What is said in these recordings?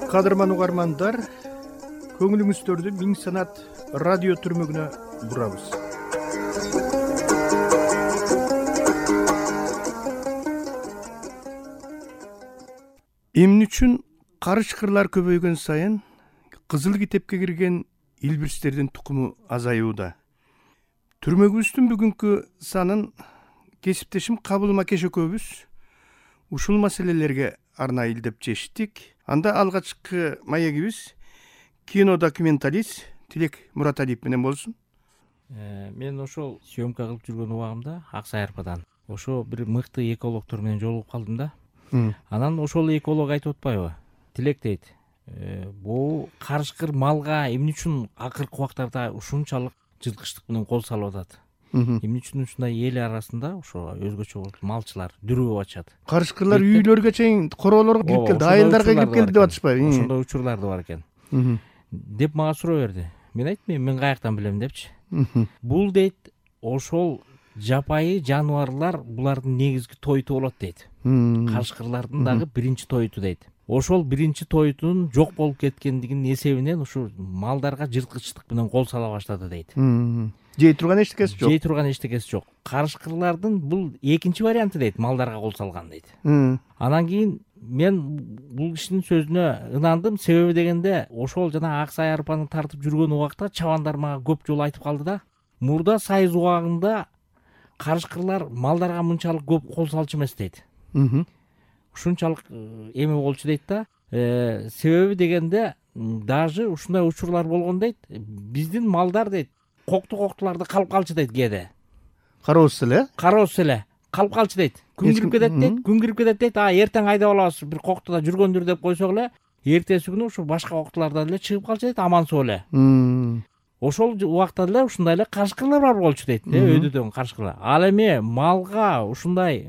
Кадырман угармандар, көңүлүңүздөрдү Миң Санат радио түрмөгүнө бурабыз. Эмне үчүн карышкырлар көбөйгөн сайын кызыл китепке кирген илбирстердин тукуму азаюуда? Түрмөгүбүздүн бүгүнкү санын кесиптешим Кабыл Макеш экөөбүз ушул маселелерге арнайы илдеп чечтик. Анда алгачкы маегибиз кинодокументалист Тилек Мураталиев менен болсун. Мен ошол съемка кылып жүргөн убагымда Ак Саярпадан ошо бир мыкты экологдор менен жолугуп калдым да. Анан ошол эколог айтып атпайбы? Тилек дейт. Бул карышкыр малга эмне үчүн акыркы убактарда ушунчалык жылкычтык менен кол салып атат? Эмне үчүн ушундай эл арасында ошо өзгөчө малчылар дүрүп ачат? Карышкырлар үйлөргө чейин, короолорго кирип келди, айылдарга кирип келди деп атышпайбы? Ошондой учурлар да бар экен. Деп мага суроо берди. Мен айттым, мен каяктан билем депчи. Бул дейт, ошол жапайы жаныбарлар булардын негизги тойту болот дейт. Карышкырлардын дагы биринчи тойту дейт. Ошол биринчи тойтунун жок болуп кеткендигинин эсебинен ушу малдарга жырткычтык менен кол сала баштады дейт. Жей турган эчтекеси жок. Жей турган эчтекеси жок. Карышкырлардын бул экинчи варианты дейт, малдарга кол салган дейт. Анан кийин мен бул кишинин сөзүнө ынандым, себеби дегенде ошол жана Ак Саярпаны тартып жүргөн убакта чабандар мага көп жолу айтып калды да. Мурда сайыз убагында карышкырлар малдарга мынчалык көп кол салчу эмес дейт. Ушунчалык эме болчу дейт да. Себеби дегенде даже ушундай учурлар болгон дейт. Биздин малдар дейт, коктуларды калып калчу дейт кээде. Кароосуз эле? Кароосуз эле калып калчу дейт. Күн кирип кетет дейт, күн кирип кетет дейт. Эртең айдап алабыз, бир коктуда жүргөндүр деп койсок эле, эртеси күнү ушу башка коктулардан эле чыгып калчу дейт, аман-соо эле. Ошол убакта эле ушундай эле карышкырлар бар болчу дейт, өйдөдөн карышкырлар. Ал эми малга ушундай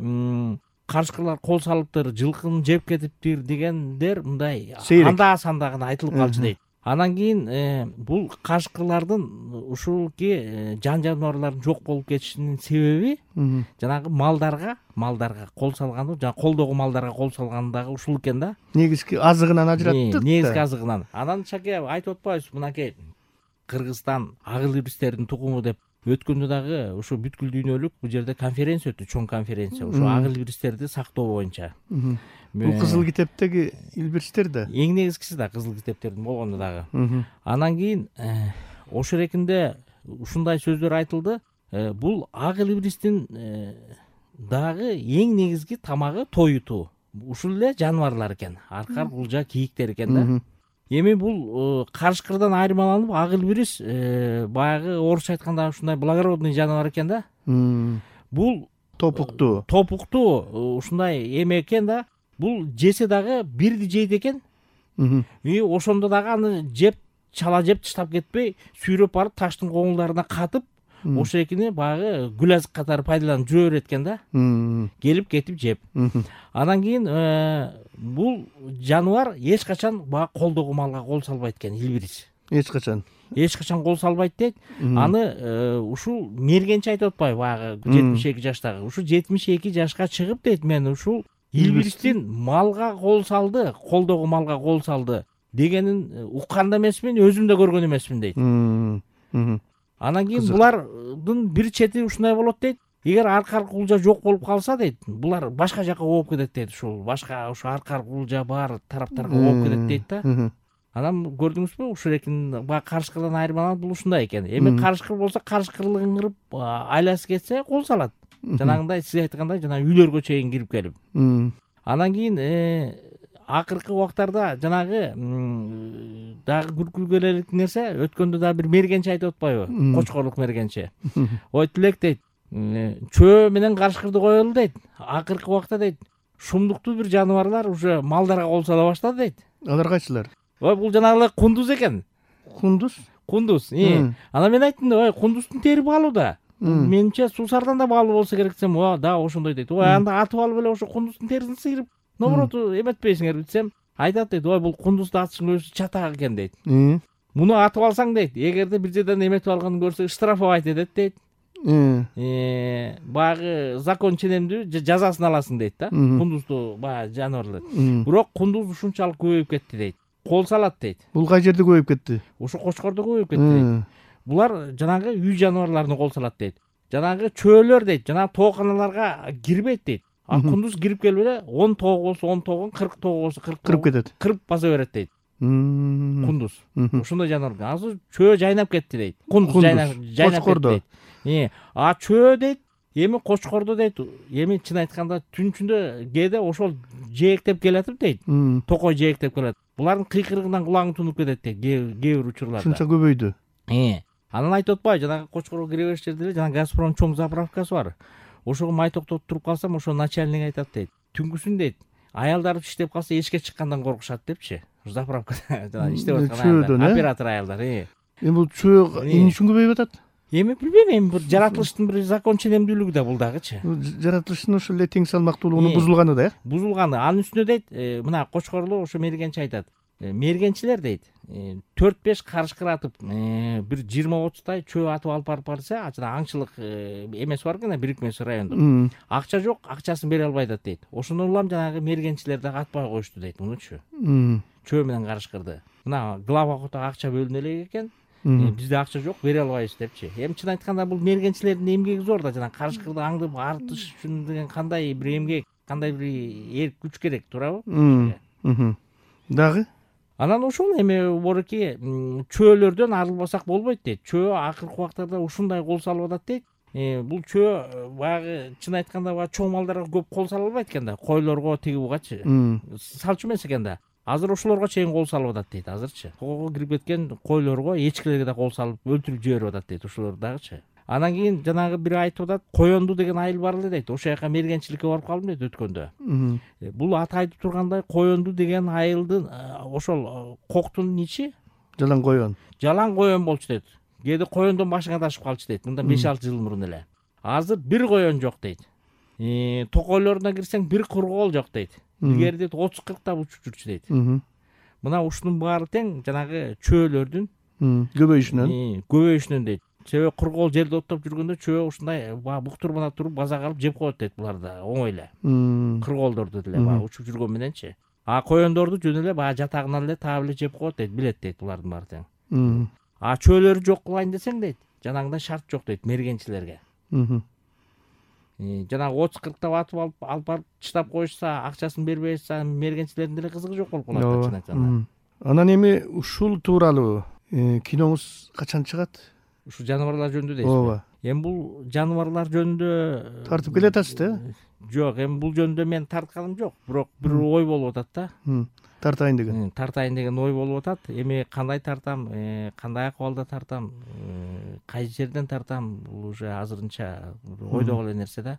карышкырлар кол салыптыр, жылкыны жеп кетиптир дегендер мындай анда-санда гана айтылып калчу дейт. Анан кийин бул карышкырлардын ушулки жан жаныбарлардын жок болуп кетишинин себеби жанагы малдарга кол салганы, жана колдогу малдарга кол салганы дагы ушул экен да. Негизги азыгынан ажыраттык. Негизги азыгынан. Анан шаке айтып атпайбыз, мынакей Кыргызстан ак илбирстердин тукуму деп өткөндө дагы ушу бүткүл дүйнөлүк бул жерде конференция өттү, чоң конференция. Ушу ак илбирстерди сактоо боюнча. Бул кызыл китептеги илбирстер да. Эң негизгиси да кызыл китептердин болгону дагы. Анан кийин ошол эркинде ушундай сөздөр айтылды. Бул ак илбирстин дагы эң негизги тамагы тоюту. Ушул эле жаныбарлар экен. Аркар, кулжа, кийиктер экен да. Эми бул карышкырдан айырмаланып, ак илбирс баягы орусча айтканда ушундай благородный жаныбар экен да. Бул топуктуу ушундай эме экен да. Бул жесе дагы бирди жейт экен. Ошондо дагы аны чала жеп таштап кетпей, сүйрөп барып таштын коңулдарына катып, ошо экини баягы гүл азык катары пайдаланып жүрө берет экен да. Келип кетип жеп. Анан кийин бул жаныбар эч качан баягы колдогу малга кол салбайт экен, илбирс. Эч качан кол салбайт дейт. Аны ушул мергенчи айтып атпайбы, баягы 72 жаштагы. Ушу 72 жашка чыгып дейт, мен ушул илбирстин малга кол салды, колдогу малга кол салды дегенин уккан да эмесмин, өзүм да көргөн эмесмин дейт. Анан кийин булардын бир чети ушундай болот дейт. Эгер аркар кулжа жок болуп калса дейт, булар башка жака ооп кетет дейт. Ушул башка ушу аркар кулжа бар тараптарга ооп кетет дейт да. Анан көрдүңүзбү, ушул эркин баягы карышкырдан айырмаланып бул ушундай экен. Эми карышкыр болсо, карышкырлыгын кырып айласы кетсе кол салат. Жанагындай сиз айткандай жана үйлөргө чейин кирип келип. Анан кийин акыркы убактарда жанагы дагы күлкүгө элек нерсе, өткөндө дагы бир мергенчи айтып атпайбы? Кочкорлук мергенчи. Ой Тилек дейт, чөө менен карышкырды коелу дейт. Акыркы убакта дейт, шумдуктуу бир жаныбарлар уже малдарга кол сала баштады дейт. Алар кайсылар? Ой, бул жанагылар кундуз экен. Кундуз? Анан мен айттым, ой, кундуздун тери баалуу да. Менимче суусардан да баалуу болсо керек десем, да, ошондой дейт. Ой, анда атып алып эле ошо кундуздун терисин сыйрып, наоборот эметпейсиңерби десем, айтат дейт, ой, бул кундузду атыштын өзү чатак экен дейт. Муну атып алсаң дейт, эгерде бир жерден эметип алганын көрсө штрафовать этет дейт. Баягы закон ченемдүү жазасын аласың дейт да. Кундузду баягы жаныбарлар. Бирок кундуз ушунчалык көбөйүп кетти дейт. кол салат дейт. Бул кай жерде көбөйүп кетти? Ушу Кочкордо көбөйүп кетти дейт. Булар жанагы үй жаныбарларына кол салат дейт. Жанагы чөөлөр дейт, жанагы тооканаларга кирбейт дейт. А кундуз кирип келип эле 10 тоого болсо 10 тоогон, 40 тоого болсо 40 кырып кетет. Кырып баса берет дейт. Кундуз. Ошондой жаныбар. Азыр чөө жайнап кетти дейт. Кундуз жайнап кетти дейт. А чөө дейт, эми Кочкордо дейт, эми чын айтканда түн ичинде кээде ошол жээктеп келатып дейт. Токой жээктеп келет. Булардын кыйкырыгынан кулагың тунуп кетет дейт кээ бир учурларда. Ушунча көбөйдү. Анан айтып атпайбы, жанагы Кочкорго кире бериш жерде эле жанагы Газпром чоң заправкасы бар. Ошого май токтотуп туруп калсам, ошо начальник айтат дейт. Түнкүсүн дейт, аялдар иштеп калса эшикке чыккандан коркушат депчи. Заправкада жанагы иштеп аткан оператор аялдар. Эми бул чөө эмне үчүн көбөйүп атат? Эми билбейм, эми бир жаратылыштын бир закон ченемдүүлүгү да бул дагычы. Жаратылыштын ошол эле тең салмактуулугунун бузулганы да, бузулганы. Анын үстүнө дейт, мына Кочкорло ошо мергенчи айтат. Мергенчилер дейт, 4-5 карышкыр атып, бир 20-30 чөө атып алып барып барса, жана аңчылык эмеси бар экен, бирикмеси райондук. Акча жок, акчасын бере албай атат дейт. Ошондон улам жанагы мергенчилер дагы атпай коюшту дейт, мунучу. Чөө менен карышкырды. Мына глава кото акча бөлүнө элек экен. Бизде акча жок, бере албайбыз депчи. Эми чын айтканда бул мергенчилердин эмгеги зор да, жана карышкырды аңдып артыш үчүн деген кандай бир эмгек, кандай бир эрк күч керек, туурабы? Дагы анан ошол эми бореки чөөлөрдөн арылбасак болбойт дейт. Чөө акыркы убактарда ушундай кол салып атат дейт. Бул чөө баягы чын айтканда баягы чоң малдарга көп кол сала албайт экен да, койлорго тиги бугачы. Салчу эмес экен да. Азыр ошолорго чейин кол салып атат дейт азырчы. Тоого кирип кеткен койлорго, эчкилерге да кол салып өлтүрүп жиберип атат дейт ошолор дагычы. Анан кийин жанагы бир айтып атат, Коёнду деген айыл бар эле дейт. Ошол жака мергенчиликке барып калдым дейт өткөндө. Бул аты айтып тургандай Коёнду деген айылдын ошол коктун ичи жалаң коён. Жалаң коён болчу дейт. Кээде коёндон башың адашып калчу дейт. Мындан 5-6 жыл мурун эле. Азыр бир коён жок дейт. Токойлоруна кирсең бир кургоол жок дейт. Илгери дейт 30-40 учуп жүрчү дейт. Мына ушунун баары тең жанагы чөөлөрдүн көбөйүшүнөн дейт. Себеби кургоол жерде оттоп жүргөндө чөө ушундай буктурмана туруп база калып жеп коет дейт буларды оңой эле. Кургоолдорду деле учуп жүргөн мененчи. А коёндорду жөн эле баягы жатагынан эле таап эле жеп коет дейт, билет дейт булардын баары тең. А чөөлөрү жок кылайын десең дейт, жанагындай шарт жок дейт мергенчилерге. Жанагы 30-40 атып алып барып чыдап коюшса, акчасын бербей атса, мергенчилердин деле кызыгы жок болуп калат чын айтканда. Анан эми ушул тууралуу киноңуз качан чыгат? Ушу жаныбарлар жөнүндө дейсизби? Ооба. Эми бул жаныбарлар жөнүндө тартып келатасыз да? Жок, эми бул жөнүндө мен тартканым жок, бирок бир ой болуп атат да. Тартайын деген ой болуп атат. Эми кандай тартам, кандай акыбалда тартам, кайсы жерден тартам, бул уже азырынча ойдогу эле нерсе да.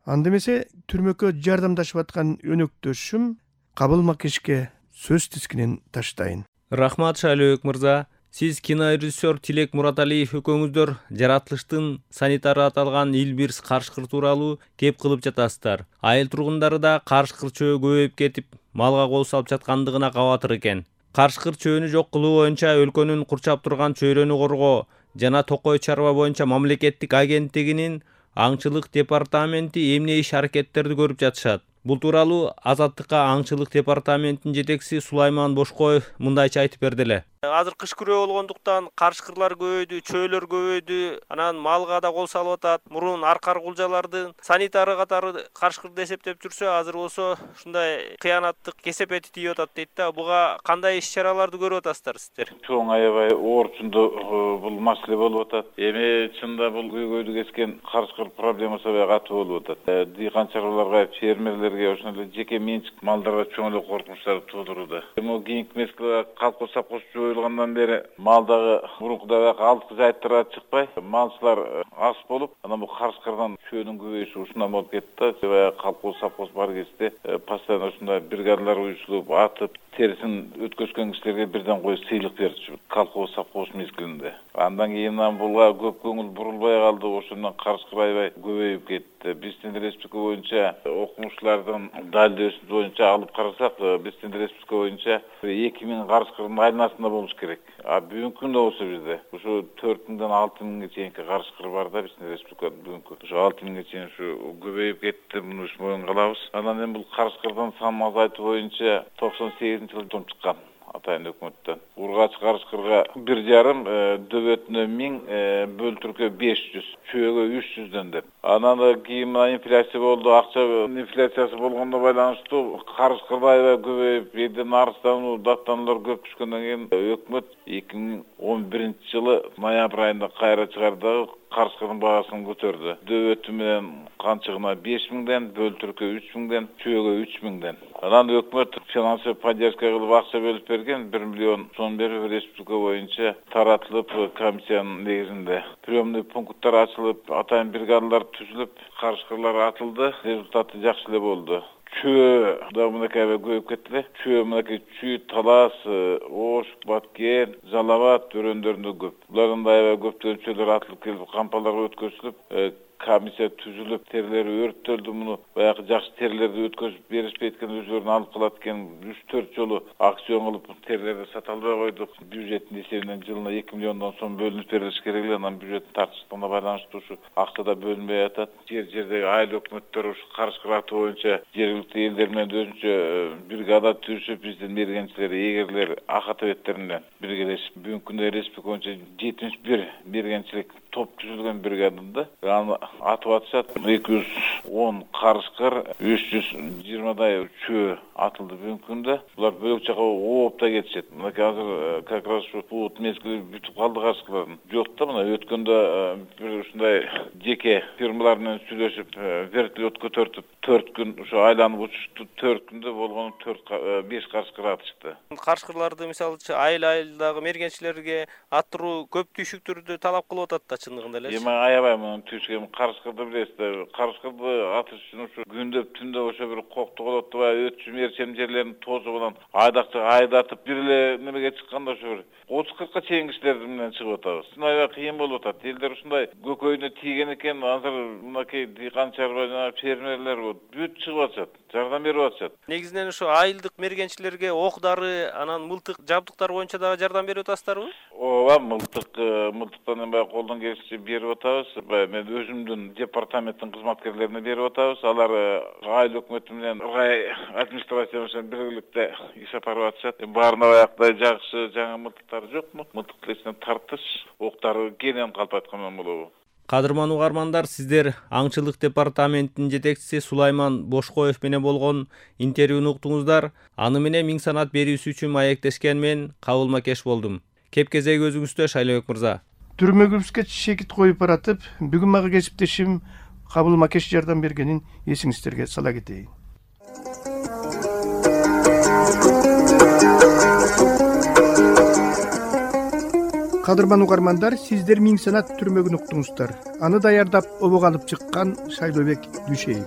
Анда эмесе түрмөккө жардамдашып аткан өнөктөшүм Кабыл Макешке сөз тискинин таштайын. Рахмат Шайлөөбек мырза. Сиз кинорежиссер Тилек Мураталиев экөөңүздөр жаратылыштын санитары аталган Илбирс карышкыр тууралуу кеп кылып жатасыздар. Айыл тургундары да карышкыр чөө көбөйүп кетип, малга кол салып жаткандыгына кабатыр экен. Карышкыр чөөнү жок кылуу боюнча өлкөнүн курчап турган чөйрөнү коргоо жана Токой чарба боюнча мамлекеттик агенттигинин аңчылык департаменти эмне иш аракеттерди көрүп жатышат. Бул тууралуу Азаттыкка аңчылык департаментинин жетекчиси Сулайман Бошкоев мындайча айтып берди эле. Азыр кыш күрөө болгондуктан карышкырлар көбөйдү, чөөлөр көбөйдү, анан малга да кол салып атат. Мурун аркар кулжалардын санитары катары карышкырды эсептеп жүрсө, азыр болсо ушундай кыянаттык кесепети тийип атат дейт да. Буга кандай иш-чараларды көрүп атасыздар сиздер? Чоң аябай оорчунду бул маселе болуп атат. Эми чында бул көйгөйдү кескен карышкыр проблемасы аябай катуу болуп атат. Дыйкан чарбаларга, фермерлерге, ошондой жеке менчик малдарга чоң эле коркунучтарды туудурууда. Эми кийинки мезгилде колхоз сапкоз жойулгандан бери малдагы мурункудай алдыкы жайыттарга чыкпай, малчылар аз болуп, анан бул карышкырдан чөөнүн көбөйүшү ушундан болуп кетти. Баягы колхоз сапкоз бар кезде постоянно ушундай бригадалар уюшулуп, атып, терисин өткөзгөн кишилерге бирден коюп сыйлык берчү колхоз сапкоз мезгилинде. Андан кийин буга көп көңүл бурулбай калды, ошондон карышкыр аябай көбөйүп кетти. Биздин республика боюнча окумуштуулардын далилдөөсү боюнча алып карасак, биздин республика боюнча 2000 карышкырдын айланасында болуш керек. А бүгүнкү күндө болсо бизде ушу 4000-дан 6000ге чейинки карышкыр бар да биздин республикада бүгүнкү. Ушу 6000ге чейин ушу көбөйүп кетти, муну моюнга алабыз. Анан эми бул карышкырдын санын азайтуу боюнча 98-жылы том чыккан. Атайын өкмөттөн. Ургач карышкырга 1,5, дөбөтүнө 1000, бөлтүркө 500, чөөгө 300дөн деп. Анан кийин инфляция болду, акча инфляциясы болгондо байланыштуу карышкырда аябай көбөйүп, элден арыздануу, даттануулар көп түшкөндөн кийин өкмөт 2011-жылы ноябрь айында кайра чыгарды, карышкырдын баасын көтөрдү. Дөбөтү менен канчыгына 5000ден, бөлтүркө 3000ден, чөөгө 3000ден. Анан өкмөт финансовый поддержка кылып акча бөлүп берген, 1 миллион сом берип республика боюнча таратылып, комиссиянын негизинде приемный пункттар ачылып, атайын бригадалар түзүлүп, карышкырлар атылды. Результаты жакшы эле болду. Чөө да мынакей аябай көбөйүп кетти. Чөө мынакей Чүй, Талас, Ош, Баткен, Жалал Абад өрөөндөрүндө көп. Булардын да аябай көптөгөн чөөлөр атылып келип, кампаларга өткөзүлүп, комиссия түзүлүп, терлери өрттөлдү. Муну баягы жакшы терлерди өткөзүп беришпейт экен, өзүлөрүн алып калат экен. 3-4 жолу акцион кылып терлерди сата албай койдук. Бюджеттин эсебинен жылына 2 миллиондон сом бөлүнүп берилиш керек эле. Анан бюджеттин тартыштыгына байланыштуу ушу акча да бөлүнбөй атат. Жердеги айыл өкмөттөр ушу карышкыр атуу боюнча жергиликтүү элдер менен өзүнчө бригада түзүп, биздин мергенчилер, эгерлер, ак атабеттер менен биргелешип, бүгүнкү күндө республика боюнча 71 мергенчилик топ түзүлгөн бригадада аны атып атышат. 210 карышкыр, 320дай чөө атылды бүгүнкү күндө. Булар бөлөк жака ооп да кетишет. Мынакей азыр как раз ушу бут мезгили бүтүп калды карышкылардын. Жок да, мына өткөндө бир ушундай жеке фирмалар менен сүйлөшүп, вертолетко төртүп 4 күн ушу айланып учушту. 4 күндө болгону 5 карышкыр атышты. Карышкырларды мисалычы айыл-айылдагы мергенчилерге аттыруу көп түйшүктөрдү талап кылып атат да чындыгында эле. Эми аябай мунун түйшүгү карышкырды билесиз да. Карышкырды атыш үчүн ушу күндөп түндө ошо бир кокту колот да, өтчү мерчем жерлерин тозу менен айдакча айдатып бир эле немеге чыкканда ошо бир 30-40ка чейин кишилер менен чыгып атабыз. Аябай кыйын болуп атат. Элдер ушундай көкөйүнө тийген экен, азыр мынакей дыйкан чарба жана фермерлер бүт чыгып атышат, жардам берип атышат. Негизинен ушу айылдык мергенчилерге ок-дары, анан мылтык жабдыктар боюнча дагы жардам берип атасыздарбы? Ооба, мылтыктан эми баягы колдон келишинче берип атабыз. Мен өзүмдүн департаменттин кызматкерлерине берип атабыз. Алар айыл өкмөтү менен рай администрация менен биргеликте иш алып барып атышат. Баарына баягыдай жакшы жаңы мылтыктар жокму? Мылтыктын ичинен тартыш, октары кенен калп айткандан болобу? Кадырман угармандар, сиздер аңчылык департаментинин жетекчиси Сулайман Бошкоев менен болгон интервьюну уктуңуздар. Аны менен миң санат берүүсү үчүн маектешкен мен Кабыл Кеш болдум. Кеп кезеги өзүңүздө, Шайлообек мырза. Түрмөгүбүзгө шекит коюп баратып, бүгүн мага кесиптешим Кабыл Кеш жардам бергенин эсиңиздерге сала кетейин. Кадырман угармандар, сиздер миң санат түрмөгүн уктуңуздар. Аны даярдап обого алып чыккан Шайлообек Дүйшеев.